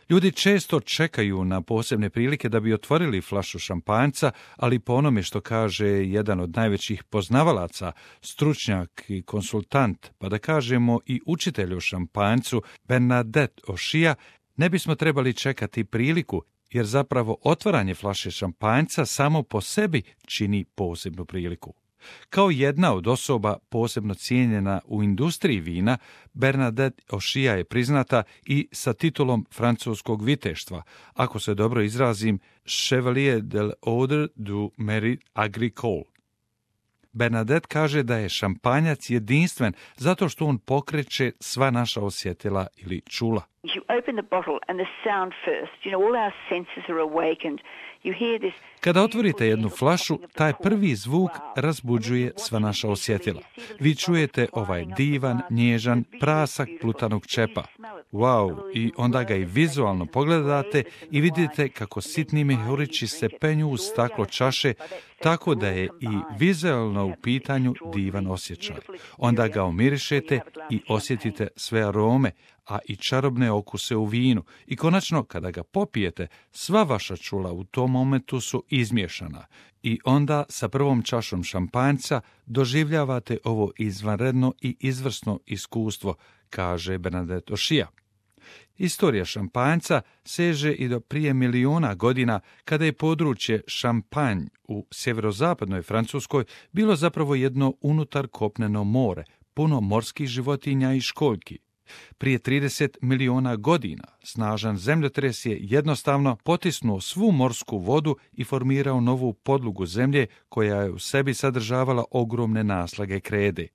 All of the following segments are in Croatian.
Ljudi često čekaju na posebne prilike da bi otvorili flašu šampanjca, ali po onome što kaže jedan od najvećih poznavalaca, stručnjak i konsultant, pa da kažemo i učitelj o šampanjcu, Bernadette O'Shea, ne bismo trebali čekati priliku, jer zapravo otvaranje flaše šampanjca samo po sebi čini posebnu priliku. Kao jedna od osoba posebno cijenjena u industriji vina, Bernadette O'Shea je priznata i sa titulom francuskog viteštva, ako se dobro izrazim, Chevalier de l'Ordre du Mérite Agricole. Bernadette kaže da je šampanjac jedinstven zato što on pokreće sva naša osjetila ili čula. Kada otvorite jednu flašu, taj prvi zvuk razbuđuje sva naša osjetila. Vi čujete ovaj divan, nježan prasak plutanog čepa. Wow, i onda ga i vizualno pogledate i vidite kako sitni mehurići se penju u staklo čaše, tako da je i vizualno u pitanju divan osjećaj. Onda ga omirišete i osjetite sve arome, a i čarobne okuse u vinu. I konačno, kada ga popijete, sva vaša čula u tom momentu su izmiješana. I onda sa prvom čašom šampanjca doživljavate ovo izvanredno i izvrsno iskustvo, kaže Bernadette O'Shea. Istorija šampanjca seže i do prije miliona godina, kada je područje Šampanj u sjeverozapadnoj Francuskoj bilo zapravo jedno unutar kopneno more, puno morskih životinja i školjki. Prije 30 miliona godina snažan zemljotres je jednostavno potisnuo svu morsku vodu i formirao novu podlogu zemlje koja je u sebi sadržavala ogromne naslage krede.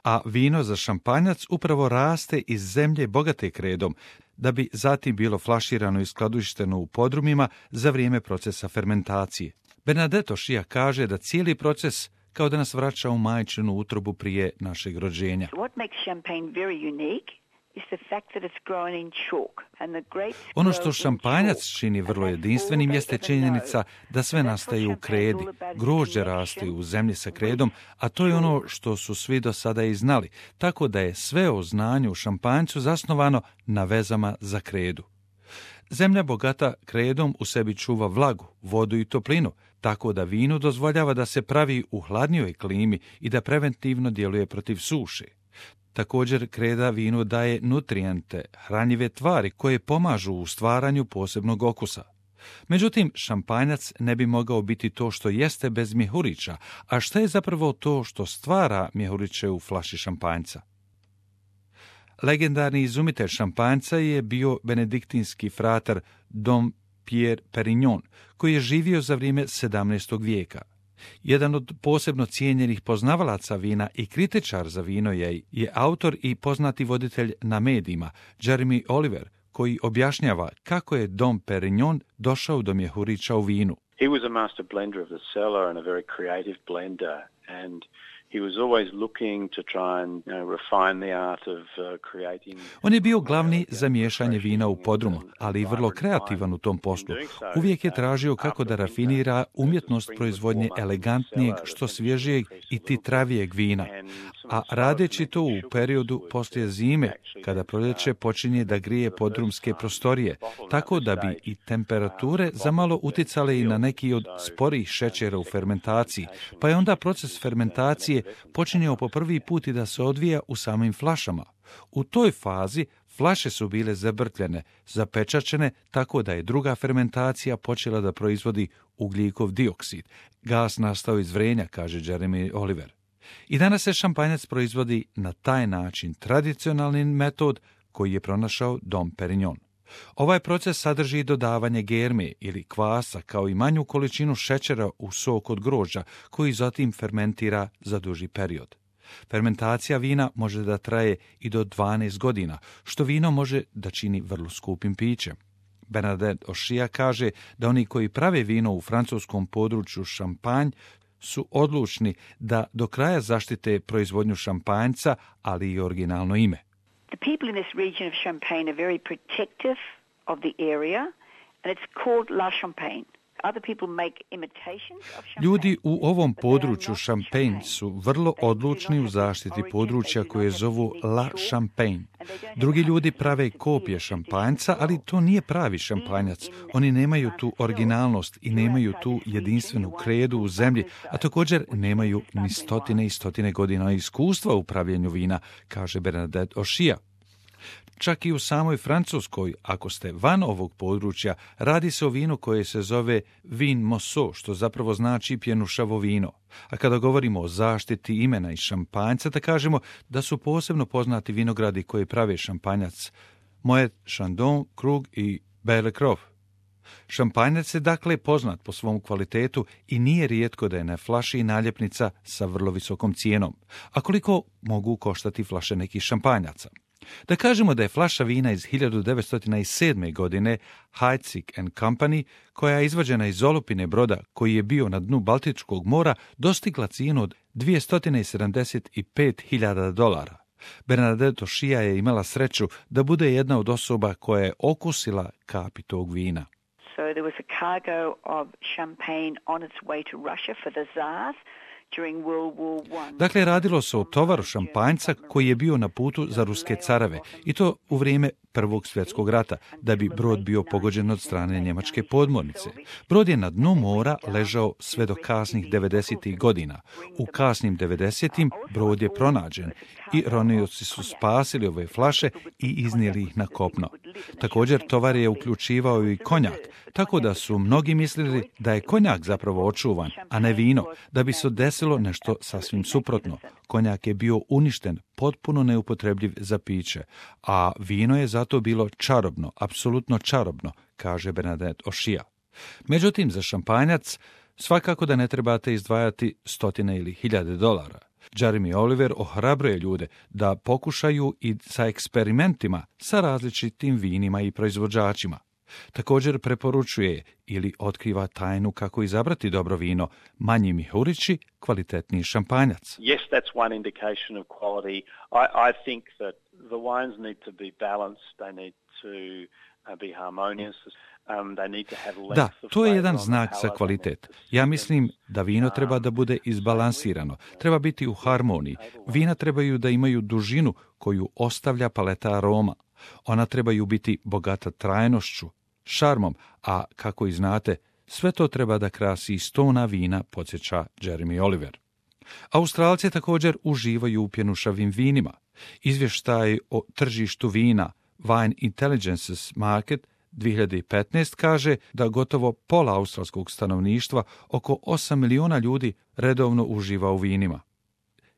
A vino za šampanjac upravo raste iz zemlje bogate kredom, da bi zatim bilo flaširano i skladišteno u podrumima za vrijeme procesa fermentacije. Bernadette O'Shea kaže da cijeli proces kao da nas vraća u majčinu utrobu prije našeg rođenja. Ono što šampanjac čini vrlo jedinstvenim jeste činjenica da sve nastaje u kredi. Grožđe raste u zemlji sa kredom, a to je ono što su svi do sada i znali, tako da je sve o znanju u šampanjcu zasnovano na vezama za kredu. Zemlja bogata kredom u sebi čuva vlagu, vodu i toplinu, tako da vinu dozvoljava da se pravi u hladnijoj klimi i da preventivno djeluje protiv suše. Također kreda vinu daje nutrijente, hranjive tvari koje pomažu u stvaranju posebnog okusa. Međutim, šampanjac ne bi mogao biti to što jeste bez mjehurića, a šta je zapravo to što stvara mjehuriće u flaši šampanjca? Legendarni izumitelj šampanjca je bio benediktinski fratar Dom Pierre Perignon, koji je živio za vrijeme 17. vijeka. Jedan od posebno cijenjenih poznavalaca vina i kritičar za vino je autor i poznati voditelj na medijima, Jeremy Oliver, koji objašnjava kako je Dom Perignon došao do mjehurića u vinu. He was a master blender of the cellar and a very creative blender, and he was always looking to try and refine the art of creating. On je bio glavni za miješanje vina u podrumu, ali i vrlo kreativan u tom poslu. Uvijek je tražio kako da rafinira umjetnost proizvodnje elegantnijeg, što svježijeg i titravijeg vina. A radeći to u periodu poslije zime, kada proljeće počinje da grije podrumske prostorije, tako da bi i temperature zamalo uticale i na neki od sporijih šećera u fermentaciji, pa je onda proces fermentacije počinjao po prvi put i da se odvija u samim flašama. U toj fazi flaše su bile zabrtljene, zapečačene, tako da je druga fermentacija počela da proizvodi ugljikov dioksid. Gas nastao iz vrenja, kaže Jeremy Oliver. I danas se šampanjac proizvodi na taj način, tradicionalni metod koji je pronašao Dom Perignon. Ovaj proces sadrži dodavanje germe ili kvasa, kao i manju količinu šećera u sok od grožđa, koji zatim fermentira za duži period. Fermentacija vina može da traje i do 12 godina, što vino može da čini vrlo skupim pićem. Bernadette O'Shea kaže da oni koji prave vino u francuskom području Šampanj su odlučni da do kraja zaštite proizvodnju šampanjca, ali i originalno ime. The people in this region of Champagne are very protective of the area, and it's called La Champagne. Ljudi u ovom području Champagne su vrlo odlučni u zaštiti područja koje zovu La Champagne. Drugi ljudi prave kopije šampanjca, ali to nije pravi šampanjac. Oni nemaju tu originalnost i nemaju tu jedinstvenu kredu u zemlji, a također nemaju ni stotine i stotine godina iskustva u pravljenju vina, kaže Bernadette O'Shea. Čak i u samoj Francuskoj, ako ste van ovog područja, radi se o vinu koje se zove vin Mosseau, što zapravo znači pjenušavo vino. A kada govorimo o zaštiti imena iz šampanjca, da kažemo da su posebno poznati vinogradi koji prave šampanjac Moet, Chandon, Krug i Belle-Croix. Šampanjac je dakle poznat po svom kvalitetu i nije rijetko da je na flaši naljepnica sa vrlo visokom cijenom. A koliko mogu koštati flaše nekih šampanjaca? Da kažemo da je flaša vina iz 1907. godine Heidsieck & Company, koja je izvađena iz olupine broda koji je bio na dnu Baltičkog mora, dostigla cijenu od $275.000. Bernadette O'Shea je imala sreću da bude jedna od osoba koja je okusila kapi tog vina. So there was a cargo of champagne on its way to Russia for the Tsars. Dakle, radilo se o tovaru šampanjca koji je bio na putu za ruske careve, i to u vrijeme Prvog svjetskog rata, da bi brod bio pogođen od strane njemačke podmornice. Brod je na dnu mora ležao sve do kasnih 90. godina. U kasnim 90. brod je pronađen i ronioci su spasili ove flaše i iznijeli ih na kopno. Također, tovar je uključivao i konjak, tako da su mnogi mislili da je konjak zapravo očuvan, a ne vino, da bi se desilo nešto sasvim suprotno. Konjak je bio uništen, potpuno neupotrebljiv za piće, a vino je zato bilo čarobno, apsolutno čarobno, kaže Bernadette O'Shea. Međutim, za šampanjac svakako da ne trebate izdvajati stotine ili $1,000. Jeremy Oliver ohrabruje ljude da pokušaju i sa eksperimentima sa različitim vinima i proizvođačima. Također preporučuje ili otkriva tajnu kako izabrati dobro vino, manji mihurići, kvalitetniji šampanjac. Yes, that's one indication of quality. I think that the wines need to be balanced, they need to be harmonious. Da, to je jedan znak za kvalitet. Ja mislim da vino treba da bude izbalansirano, treba biti u harmoniji. Vina trebaju da imaju dužinu koju ostavlja paleta aroma. Ona trebaju biti bogata trajnošću, šarmom, a kako i znate, sve to treba da krasi 100 vina, podsjeća Jeremy Oliver. Australci također uživaju u pjenušavim vinima. Izvještaj o tržištu vina Wine Intelligences Market 2015 kaže da gotovo pola australskog stanovništva, oko 8 miliona ljudi, redovno uživa u vinima.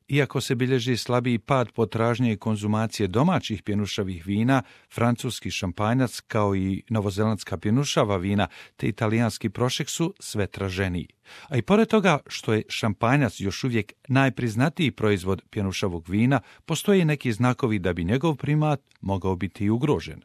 Iako se bilježi slabiji pad potražnje i konzumacije domaćih pjenušavih vina, francuski šampanjac kao i novozelandska pjenušava vina te italijanski prošek su sve traženiji. A i pored toga što je šampanjac još uvijek najpriznatiji proizvod pjenušavog vina, postoje neki znakovi da bi njegov primat mogao biti ugrožen.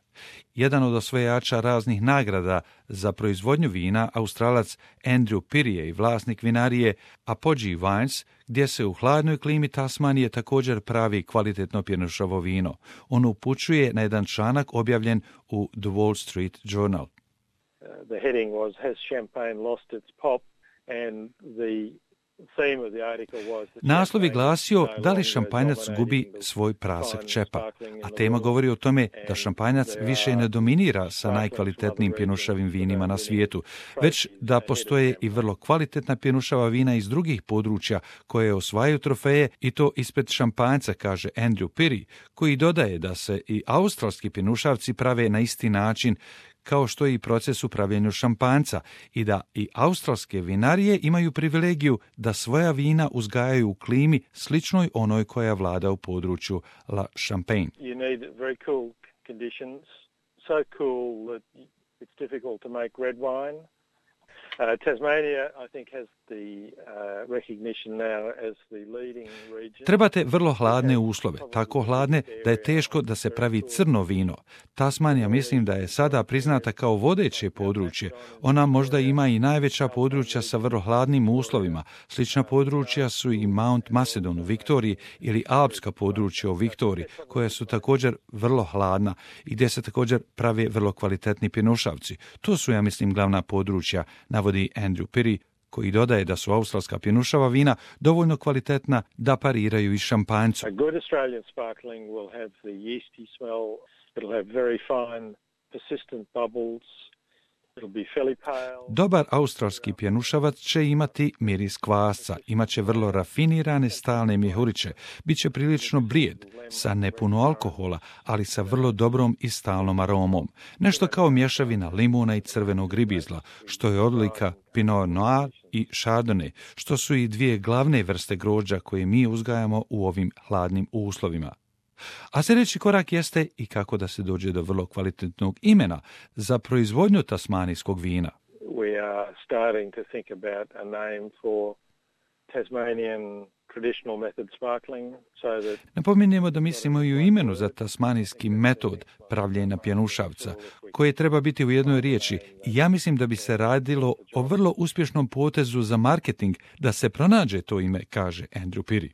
Jedan od osvajača raznih nagrada za proizvodnju vina, Australac Andrew Pirrie i vlasnik vinarije Apogee Wines, gdje se u hladnoj klimi Tasmanije također pravi kvalitetno pjenušavo vino. On upućuje na jedan članak objavljen u The Wall Street Journal. The heading was Has Champagne lost its pop? And the Naslov je glasio da li šampanjac gubi svoj prasak čepa, a tema govori o tome da šampanjac više ne dominira sa najkvalitetnijim pjenušavim vinima na svijetu, već da postoje i vrlo kvalitetna pjenušava vina iz drugih područja koje osvajaju trofeje, i to ispred šampanjca, kaže Andrew Pirrie, koji dodaje da se i australski pjenušavci prave na isti način kao što je i proces u pravljenju šampanjca, i da i australske vinarije imaju privilegiju da svoja vina uzgajaju u klimi sličnoj onoj koja vlada u području La Champagne. You need very cool conditions, so cool that it's difficult to make red wine. Tasmania, I think, has Trebate vrlo hladne uslove, tako hladne da je teško da se pravi crno vino. Tasmanija mislim da je sada priznata kao vodeće područje. Ona možda ima i najveća područja sa vrlo hladnim uslovima. Slična područja su i Mount Macedon u Viktoriji ili alpska područja u Viktoriji, koja su također vrlo hladna i gdje se također prave vrlo kvalitetni pjenušavci. To su, ja mislim, glavna područja, navodi Andrew Pirrie, koji dodaje da su australska pjenušava vina dovoljno kvalitetna da pariraju i šampanjcu. A good Australian sparkling will have the yeasty smell. It'll have very fine, persistent bubbles. It'll be fairly pale. Dobar australski pjenušavac će imati miris kvasca, imaće vrlo rafinirane stalne mjehuriće, bit će prilično blijed, sa nepuno alkohola, ali sa vrlo dobrom i stalnom aromom. Nešto kao mješavina limuna i crvenog ribizla, što je odlika Pinot Noir i Chardonnay, što su i dvije glavne vrste grožđa koje mi uzgajamo u ovim hladnim uslovima. A sljedeći korak jeste i kako da se dođe do vrlo kvalitetnog imena za proizvodnju tasmanijskog vina. We are starting to think about a name for Tasmanian traditional method sparkling, so that... Napominjemo da mislimo i u imenu za tasmanijski metod pravljenja pjenušavca, koje treba biti u jednoj riječi. I ja mislim da bi se radilo o vrlo uspješnom potezu za marketing da se pronađe to ime, kaže Andrew Pirrie.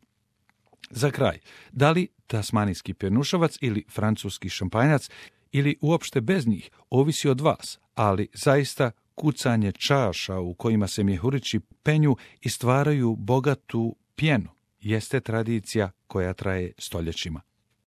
Za kraj, da li tasmanijski pjenušavac ili francuski šampanjac ili uopšte bez njih, ovisi od vas, ali zaista kucanje čaša u kojima se mjehurići penju i stvaraju bogatu pjenu jeste tradicija koja traje stoljećima.